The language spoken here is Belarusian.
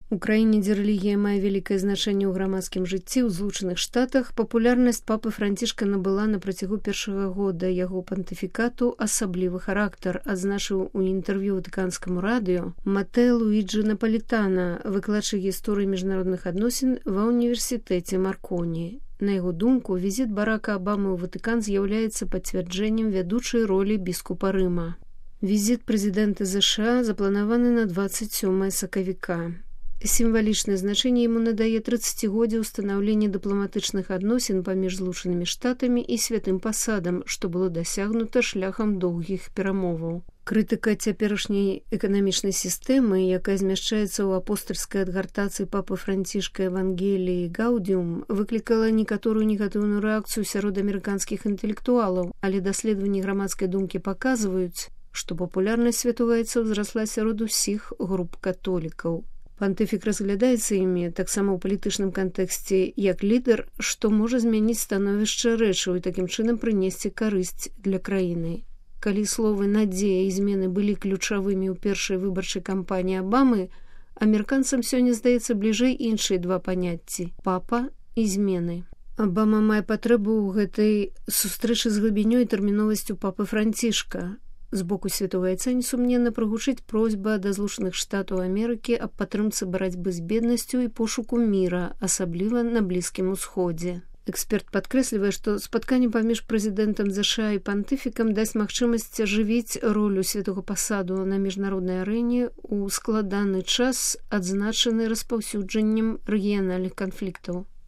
У краіне, дзе рэлігія мае вялікае значэнне ў грамадскім жыцці, ў Злучаных Штатах папулярнасць папы Францішка набыла на працягу першага года яго пантыфікату асаблівы характар, адзначыў у інтэрв'ю ватыканскаму радыё Матэ Луіджы Наполітана, выкладчык гісторыі міжнародных адносін ва ўніверсітэце Марконі. На яго думку, візіт Барака Абамы ў Ватыкан з'яўляецца пацвярджэннем вядучай ролі біскупа Рыма. Візіт прэзідэнта ЗША запланаваны на 27 сакавіка. Сімвалічнае значэнне яму надае 30годдзе ўстанаўлення дыпламатычных адносін паміж Злучанымі Штатамі і святым пасадам, што было дасягнута шляхам доўгіх перамоваў. Крытыка цяперашняй эканамічнай сістэмы, якая змяшчаецца ў апостальскай адгартацыі папы Францішка Евангеліі Гаудіум, выклікала некаторую негатыўную рэакцыю сярод амерыканскіх інтэлектуалаў, але даследаванні грамадскай думкі паказваюць, што папулярнасць святога айца ўзрасла сярод усіх груп католікаў. Пантыфік разглядаецца імі таксама ў палітычным кантэксце як лідар, што можа змяніць становішча рэчаў і такім чынам прынесці карысць для краіны. Калі словы «надзея» і змены былі ключавымі ў першай выбарчай кампаніі Абамы, амерыканцам сёння здаецца бліжэй іншыя два паняцці – папа і змены. Абама мае патрэбу ў гэтай сустрэчы з глыбінёй і тэрміновасцю папы Францішка. З боку святога айца несумненна прагучыць просьба да Злучаных Штатаў Амерыкі аб падтрымцы барацьбы з беднасцю і пошуку міра, асабліва на Блізкім Усходзе. Эксперт падкрэслівае, што спатканне паміж прэзідэнтам ЗША і пантыфікам дасць магчымасць ажывіць ролю святога пасаду на міжнароднай арэне ў складаны час, адзначаны распаўсюджаннем рэгіянальных канфліктаў.